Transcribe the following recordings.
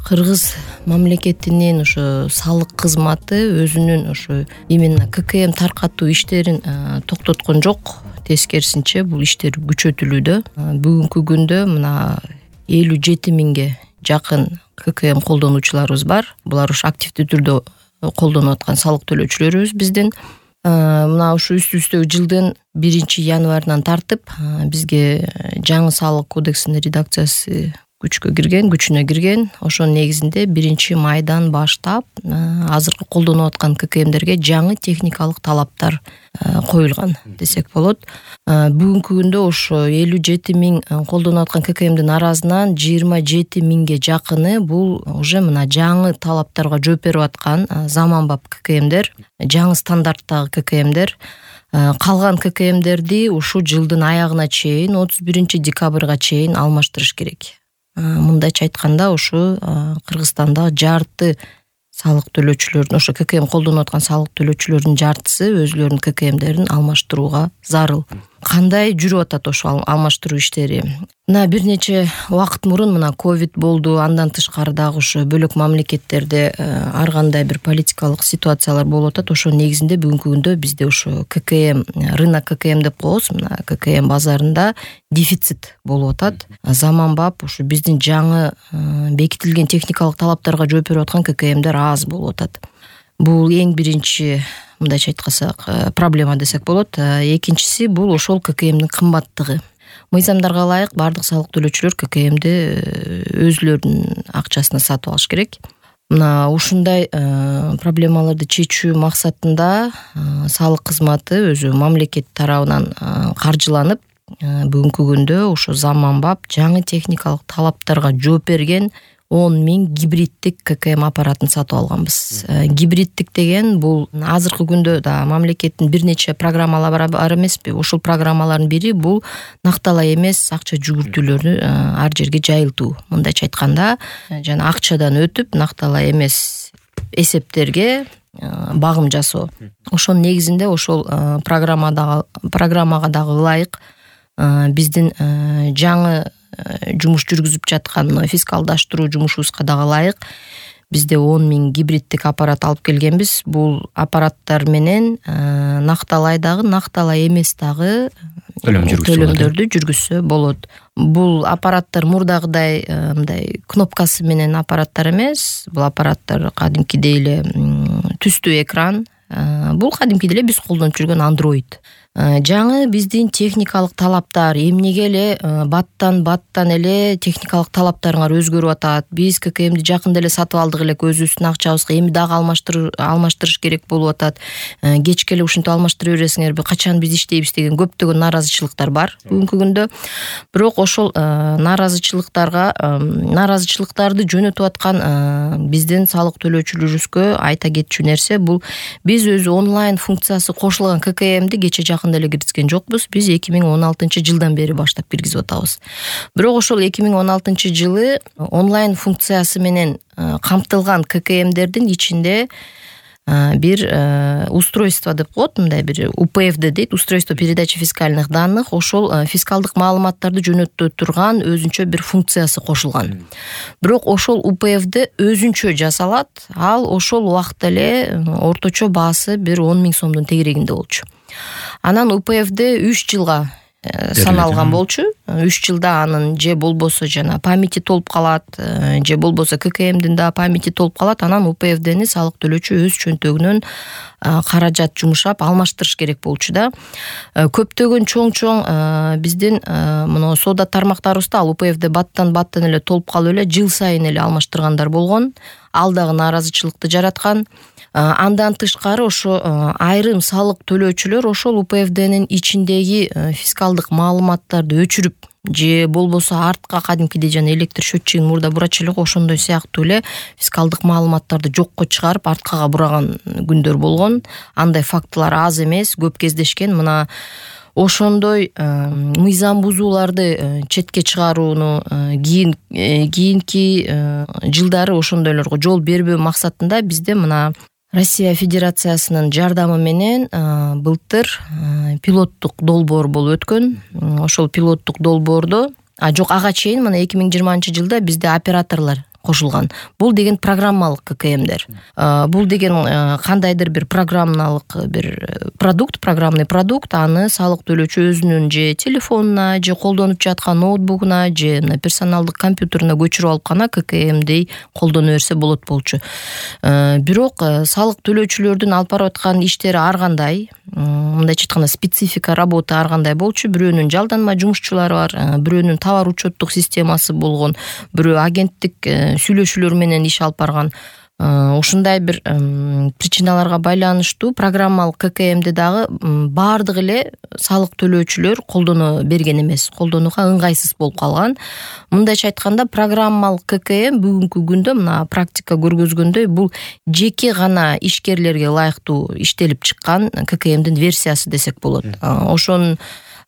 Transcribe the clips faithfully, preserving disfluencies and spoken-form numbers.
Кыргыз мамлекетинин ошо салык кызматы өзүнүн ошо именно ККМ таркатуу иштерин токтоткон жок. Тескерисинче бул иштер күчөтүлүүдө. Бүгүнкү күндө мына элүү жети миңге жакын ККМ колдонуучуларыбыз бар. Булар ушу активдүү түрдө колдонуп аткан салык төлөөчүлөрүбүз биздин. Мына ушу үстүбүздөгү жылдын биринчи январынан тартып бизге жаңы салык кодексинин редакциясы күчкө кирген, күчүнө кирген. Ошонун негизинде биринчи майдан баштап азыркы колдонуп аткан ККМдерге жаңы техникалык талаптар коюлган десек болот. Бүгүнкү күндө ошо элүү жети миң колдонуп аткан ККМдин арасынан жыйырма жети миңге жакыны бул уже мына жаңы талаптарга жооп берип аткан заманбап ККМдер, жаңы стандарттагы ККМдер. Калган ККМдерди ушу жылдын аягына чейин отуз биринчи декабрга чейин алмаштырыш керек. Мындайча айтканда ушу Кыргызстанда жарты салык төлөөчүлөрдүн, ошо ККМ колдонуп аткан салык төлөөчүлөрдүн жартысы өзүлөрүнүн ККМдерин алмаштырууга зарыл. Кандай жүрүп атат ошо алмаштыруу иштери? Мына бир нече убакыт мурун мына ковид болду, андан тышкары дагы ошо бөлөк мамлекеттерде ар кандай бир политикалык ситуациялар болуп атат. Ошонун негизинде бүгүнкү күндө бизде ошо ККМ, рынок ККМ деп коебуз, мына ККМ базарында дефицит болуп атат. Заманбап ушу биздин жаңы бекитилген техникалык талаптарга жооп берип аткан ККМдер аз болуп атат. Бул эң биринчи, мындайча айткансак, проблема десек болот. Экинчиси бул ошол ККМдин кымбаттыгы. Мыйзамдарга ылайык бардык салык төлөөчүлөр ККМди өзүлөрүнүн акчасына сатып алыш керек. Мына ушундай проблемаларды чечүү максатында салык кызматы өзү мамлекет тарабынан каржыланып, бүгүнкү күндө ошо заманбап жаңы техникалык талаптарга жооп берген он миң гибриддик ККМ аппаратын сатып алганбыз. Гибриддик деген бул азыркы күндө да мамлекеттин бир нече программалары бар эмеспи? Ошол программалардын бири бул накталай эмес акча жүгүртүүлөрү ар жерге жайылтуу. Мындайча айтканда, жана акчадан өтүп накталай эмес эсептерге багым жасоо. Ошонун негизинде ошол программадагы программага дагы ылайык биздин жаңы жумуш жүргүзүп жаткан фискалдаштыруу жумушубузга дагы ылайык бизде он миң гибриддик аппарат алып келгенбиз. Бул аппараттар менен накталай дагы, накталай эмес дагы төлөмдөрдү жүргүзсө болот. Бул аппараттар мурдагыдай мындай кнопкасы менен аппараттар эмес. Бул аппараттар кадимкидей эле түстүү экран. Бул кадимкидей эле биз колдонуп жүргөн Android. Жаңы биздин техникалык талаптар эмнеге эле баттан баттан эле техникалык талаптарыңар өзгөрүп атат. Биз ККМди жакында эле сатып алдык элек өзүбүздүн акчабызга, эми дагы алмаштыруу алмаштырыш керек болуп атат. Кечке эле ушинтип алмаштыра бересиңерби? Качан биз иштейбиз деген көптөгөн нааразычылыктар бар бүгүнкү күндө. Бирок ошол нааразычылыктарга нааразычылыктарды жөнөтүп аткан биздин салык төлөөчүлөрүбүзгө айта кетчү нерсе бул биз өзү онлайн функциясы кошулган ККМди кече жакында эле киргизген жокпуз. Биз эки миң он алтынчы жылдан бери баштап киргизип атабыз. Бирок ошол эки миң он алтынчы жылы онлайн функциясы менен камтылган ККМдердин ичинде бир устройство деп коет, мындай бир У П Ф Д дейт, устройство передачи фискальных данных, ошол фискалдык маалыматтарды жөнөтө турган өзүнчө бир функциясы кошулган. Бирок ошол У П Ф Д өзүнчө жасалат. Ал ошол убакта эле орточо баасы бир он миң сомдун тегерегинде болчу. Анан У П Ф Д үч жылга саналган болчу. үч жылда анын же болбосо жана памяти толуп калат, же болбосо ККМдин да памяти толуп калат. Анан У П Ф Дни салык төлөөчү өз чөнтөгүнөн каражат жумшап алмаштырыш керек болчу да. Көптөгөн чоң-чоң биздин мына соода тармактарыбызда ал У П Ф Д баттан баттан эле толуп калып эле жыл сайын эле алмаштыргандар болгон. Ал дагы нааразычылыкты жараткан. Андан тышкары ошо айрым салык төлөөчүлөр ошол У П Ф Днин ичиндеги фискалдык маалыматтарды өчүрүп же болбосо артка кадимкидей жана электр счетчигин мурда бурачу элек ошондой сыяктуу эле фискалдык маалыматтарды жокко чыгарып арткага бураган күндөр болгон. Андай фактылар аз эмес, көп кездешкен. Мына ошондой мыйзам бузууларды четке чыгарууну кийин кийинки жылдары ошондойлорго жол бербөө максатында бизде мына Россия Федерациясынын жардамы менен былтыр пилоттук долбоор болуп өткөн. Ошол пилоттук долбоордо, а жок ага чейин мына эки миң жыйырманчы жылда бизде операторлор кошулган. Бул деген программалык ККМдер. Бул деген кандайдыр бир программалык бир продукт, программный продукт, аны салык төлөөчү өзүнүн же телефонуна, же колдонуп жаткан ноутбугуна, же персоналдык компьютеруна көчүрүп алып гана ККМди колдоно берсе болот болчу. Бирок салык төлөөчүлөрдүн алып барып аткан иштери ар кандай, мындайча айтканда специфика работы ар кандай болчу. Бирөөнүн жалданма жумушчулары бар, бирөөнүн товар учеттук системасы болгон, бирөө агенттик сүйлөшүүлөр менен иш алып барган. Ушундай бир причиналарга байланыштуу программалык ККМди дагы баардык эле салык төлөөчүлөр колдоно берген эмес, колдонууга ыңгайсыз болуп калган. Мындайча айтканда программалык ККМ бүгүнкү күндө мына практика көргөзгөндөй бул жеке гана ишкерлерге ылайыктуу иштелип чыккан ККМдин версиясы десек болот. Ошонун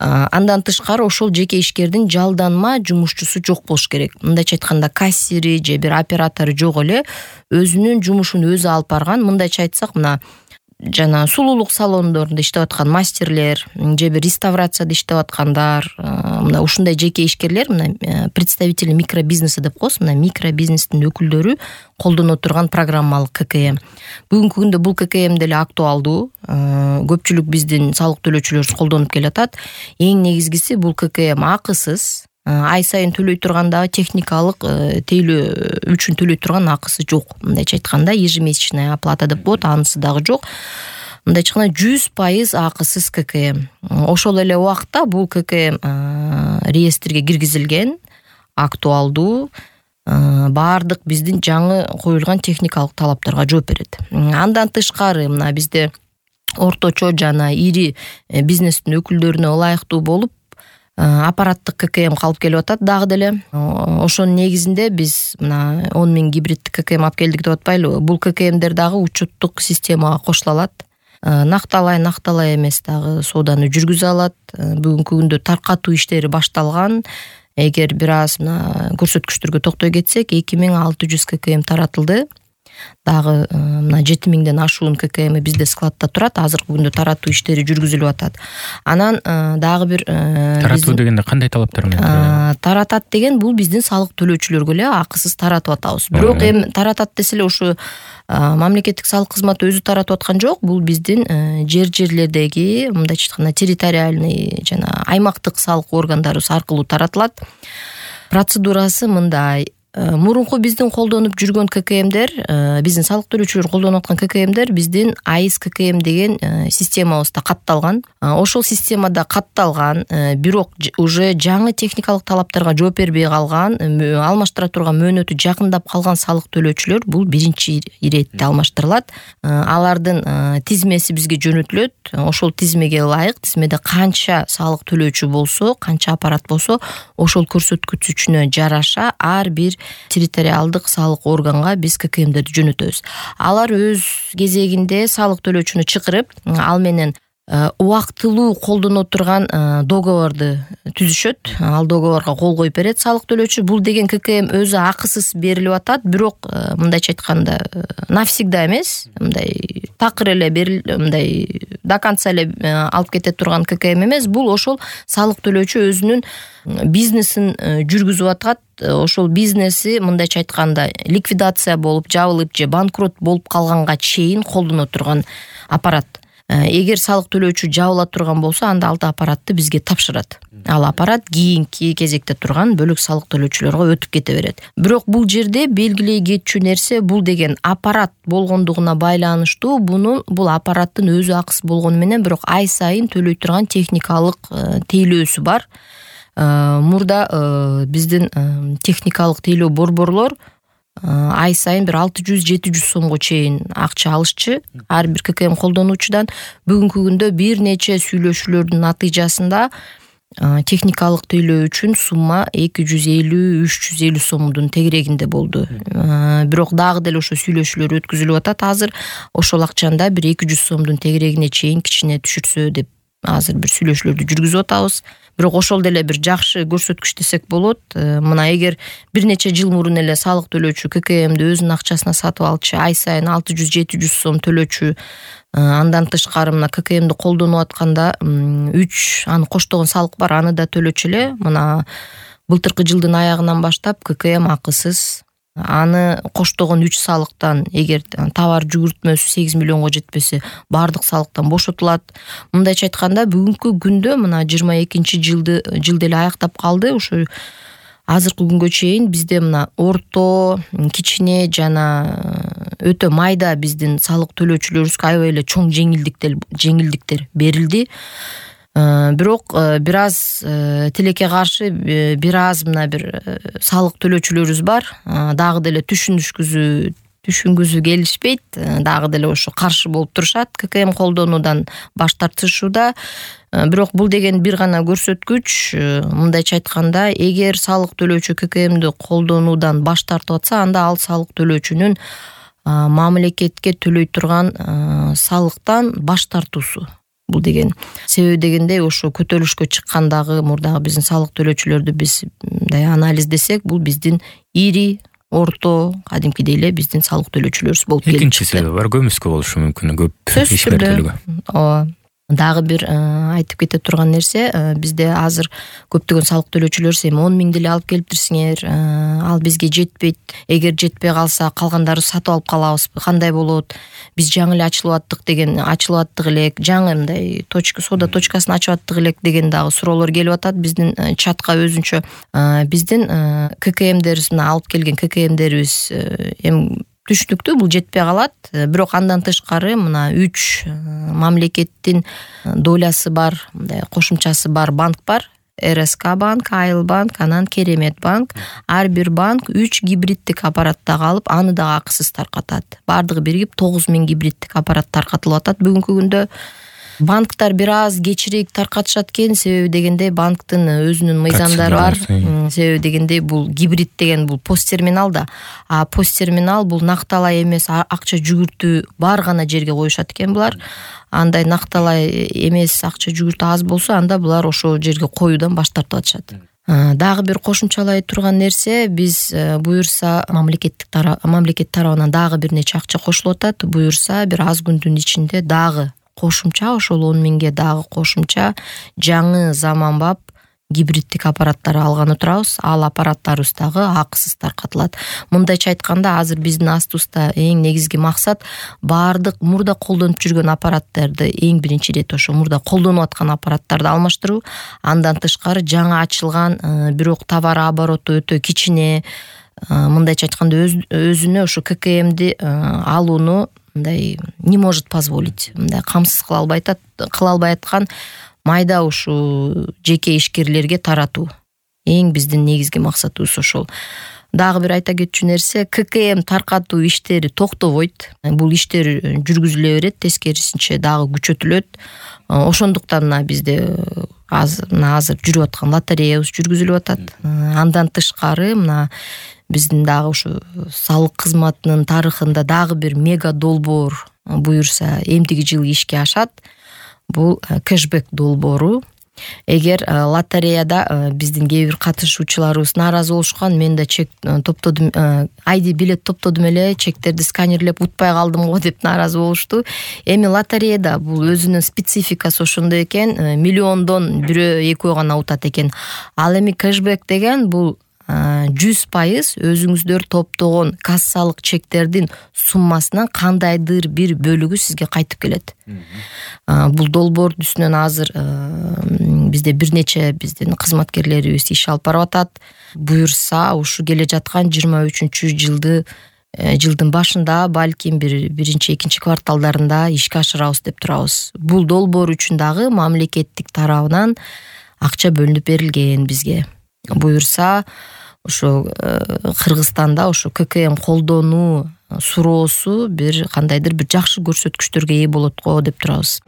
андан тышкары ошол жеке ишкердин жалданма жумушчусу жок болуш керек. Мындайча айтканда кассири же бир оператору жок эле өзүнүн жумушун өзү алып барган. Мындайча айтсак, мына жана сулуулук салондорунда иштеп аткан мастерлер же бир реставрацияда иштеп аткандар, мына ушундай жеке ишкерлер, мына представители микробизнеса деп коебуз, мына микробизнестин өкүлдөрү колдоно турган программалык ККМ. Бүгүнкү күндө бул ККМ деле актуалдуу. Көпчүлүк биздин салык төлөөчүлөр колдонуп келатат. Эң негизгиси бул ККМ акысыз. Ай сайын төлөй турганда техникалык тейлөө үчүн төлөй турган акысы жок. Мындайча айтканда ежемесячная оплата деп коет, анысы дагы жок. Мындайча айтканда жүз пайыз акысыз ККМ. Ошол эле убакта бул ККМ реестрге киргизилген, актуалдуу, баардык биздин жаңы коюлган техникалык талаптарга жооп берет. Андан тышкары мына бизде орточо жана ири бизнестин өкүлдөрүнө ылайыктуу болуп аппараттык ККМ калып келип атат дагы деле. Ошонун негизинде биз мына он миң гибриддик ККМ алып келдик деп атпайлыбы? Бул ККМдер дагы учеттук системага кошула алат. Накталай, накталай эмес дагы сооданы жүргүзө алат. Бүгүнкү күндө таркатуу иштери башталган. Эгер бир аз мына көрсөткүчтөргө токтой кетсек, эки миң алты жүз ККМ таратылды. Дагы мына жети миңден ашуун ККМ бизде складта турат. Азыркы күндө таратуу иштери жүргүзүлүп атат. Анан дагы бир таратуу дегенде кандай талаптар менен таратат деген, бул биздин салык төлөөчүлөргө эле акысыз таратып атабыз. Бирок эми таратат десе эле ушу мамлекеттик салык кызматы өзү таратып аткан жок. Бул биздин жер-жерлердеги, мындайча айтканда территориальный жана аймактык салык органдарыбыз аркылуу таратылат. Процедурасы мындай. Мурунку биздин колдонуп жүргөн ККМдер, биздин салык төлөөчүлөр колдонуп аткан ККМдер биздин АИС ККМ деген системабызда катталган. Ошол системада катталган, бирок уже жаңы техникалык талаптарга жооп бербей калган, алмаштыра турган мөөнөтү жакындап калган салык төлөөчүлөр бул биринчи иретте алмаштырылат. Алардын тизмеси бизге жөнөтүлөт. Ошол тизмеге ылайык, тизмеде канча салык төлөөчү болсо, канча аппарат болсо, ошол көрсөткүчүнө жараша ар бир территориалдык салык органга биз ККМдерди жөнөтөбүз. Алар өз кезегинде салык төлөөчүнү чакырып, ал менен убактылуу колдоно турган договорду түзүшөт. Ал договорго кол коюп берет салык төлөөчү. Бул деген ККМ өзү акысыз берилип атат, бирок мындайча айтканда навсегда эмес, мындай такыр эле берил, мындай до конца эле алып кете турган ККМ эмес. Бул ошол салык төлөөчү өзүнүн бизнесин жүргүзүп атат. Ошол бизнеси мындайча айтканда ликвидация болуп, жабылып же банкрот болуп калганга чейин колдоно турган аппарат. Эгер салык төлөөчү жабыла турган болсо, анда ал аппаратты бизге тапшырат. Ал аппарат кийинки кезекте турган бөлүк салык төлөөчүлөргө өтүп кете берет. Бирок бул жерде белгилей кетчү нерсе, бул деген аппарат болгондугуна байланыштуу, буну бул аппараттын өзү акысы болгону менен, бирок ай сайын төлөй турган техникалык тейлөөсү бар. Мурда биздин техникалык тейлөө борборлор ай сайын бир алты жүз жети жүз сомго чейин акча алышчы ар бир ККМ колдонуучудан. Бүгүнкү күндө бир нече сүйлөшүүлөрдүн натыйжасында техникалык тейлөө үчүн сумма эки жүз элүү үч жүз элүү сомдун тегерегинде болду. Бирок дагы деле ошо сүйлөшүүлөр өткүзүлүп атат. Азыр ошол акчанда бир эки жүз сомдун тегерегине чейин кичине түшүрсө деп азыр бир сүйлөшүүлөрдү жүргүзүп атабыз. Бирок ошол деле бир жакшы көрсөткүч десек болот. Мына эгер бир нече жыл мурун эле салык төлөөчү ККМди өзүнүн акчасына сатып алчу, ай сайын алты жүз жети жүз сом төлөөчү, андан тышкары мына ККМди колдонуп атканда үч аны коштогон салык бар, аны да төлөчү эле. Мына былтыркы жылдын аягынан баштап ККМ акысыз аны коштогон үч салыктан эгер товар жүгүртмөсү сегиз миллионго жетпесе баардык салыктан бошотулат. Мындайча айтканда бүгүнкү күндө мына жыйырма экинчи жылды жылды эле аяктап калды. Ошо азыркы күнгө чейин бизде мына орто, кичине жана өтө майда биздин салык төлөөчүлөрүбүзгө аябай эле чоң жеңилдиктер жеңилдиктер берилди. Бирок бир аз тилекке каршы бир аз мына бир салык төлөөчүлөрүбүз бар. Дагы деле түшүнүшкүзүү түшүнгүзүү келишпейт. Дагы деле ошо каршы болуп турушат. ККМ колдонуудан баш тартышууда. Бирок бул деген бир гана көрсөткүч. Мындайча айтканда, эгер салык төлөөчү ККМди колдонуудан баш тартып атса, анда ал салык төлөөчүнүн мамлекетке төлөй турган салыктан баш тартуусу. Бул деген себеби дегендей ошо көтөрүлүшкө чыккандагы мурдагы биздин салык төлөөчүлөрдү биз мындай анализдесек, бул биздин ири, орто, кадимкидей эле биздин салык төлөөчүлөрүбүз болуп келет. Экинчи себеби бар, көмүскө болушу мүмкүн, көп ишмердүүлүгү. Ооба. Дагы бир айтып кете турган нерсе, бизде азыр көптөгөн салык төлөөчүлөр эми он миң деле алып келиптирсиңер, ал бизге жетпейт. Эгер жетпей калса, калгандарын сатып алып калабызбы, кандай болот? Биз жаңы эле ачылып аттык деген, ачылып аттык элек, жаңы мындай точка, сода точкасын ачып аттык элек деген дагы суроолор келип атат биздин чатка өзүнчө. Биздин ККМдерибиз, мына алып келген ККМдерибиз эми түшүнүктүү, бул жетпей калат. Бирок андан тышкары мына үч мамлекеттин долясы бар, мындай кошумчасы бар банк бар. РСК банк, Айыл банк, анан Керемет банк. Ар бир банк үч гибриддик аппараттагы алып, аны дагы акысыз таркатат. Бардыгы биригип тогуз миң гибриддик аппарат таркатылып атат бүгүнкү күндө. Банктар бир аз кечирээк таркатышат экен, себеби дегенде банктын өзүнүн мыйзамдары бар. Себеби дегенде бул гибрид деген бул пост терминал да. А пост терминал бул накталай эмес, акча жүгүртүү бар гана жерге коюшат экен булар. Андай накталай эмес, акча жүгүртүү аз болсо, анда булар ошол жерге коюудан баш тартып атышат. Дагы бир кошумчалай турган нерсе, биз буюрса мамлекеттик тарап, мамлекет тарабынан дагы бир нече акча кошулуп атат. Буюрса бир аз күндүн ичинде дагы кошумча, ошол он миңге дагы кошумча жаңы заманбап гибриддик аппараттар алганы турабыз. Ал аппараттарыбыз дагы акысыз таркатылат. Мындайча айтканда, азыр биздин астыбызда эң негизги максат баардык мурда колдонуп жүргөн аппараттарды эң биринчи ирет ошо мурда колдонуп аткан аппараттарды алмаштыруу. Андан тышкары жаңы ачылган, бирок товар обороту өтө кичине, мындайча айтканда өзүнө ошо ККМди алууну мындай не может позволить, мындай камсыз кыла албай атат, кыла албай аткан майда ушу жеке ишкерлерге таратуу. Эң биздин негизги максатыбыз ошол. Дагы бир айта кетчү нерсе, ККМ таркатуу иштери токтобойт. Бул иштер жүргүзүлө берет, тескерисинче дагы күчөтүлөт. Ошондуктан мына бизде азыр жүрүп аткан лотереябыз жүргүзүлүп атат. Андан тышкары мына биздин дагы ушу салык кызматынын тарыхында дагы бир мега долбоор буюрса эмдиги жылы ишке ашат. Бул кэшбэк долбоору. Эгер лотереяда биздин кээ бир катышуучуларыбыз нааразы болушкан, мен да чек топтодум, айди билет топтодум эле, чектерди сканерлеп утпай калдым го деп нааразы болушту. Эми лотереяда бул өзүнүн спецификасы ошондой экен, миллиондон бирөө экөө гана утат экен. Ал эми кэшбэк деген бул жүз пайыз өзүңүздөр топтогон кассалык чектердин суммасынан кандайдыр бир бөлүгү сизге кайтып келет. Бул долбоордун үстүнөн азыр бизде бир нече биздин кызматкерлерибиз иш алып барып атат. Буюрса ушу келе жаткан жыйырма үчүнчү жылды жылдын башында, балким бир биринчи, экинчи кварталдарында ишке ашырабыз деп турабыз. Бул долбоор үчүн дагы мамлекеттик тарабынан акча бөлүнүп берилген бизге. Буюрса ошо Кыргызстанда ошо ККМ колдонуу суроосу бир кандайдыр бир жакшы көрсөткүчтөргө ээ болот го деп турабыз.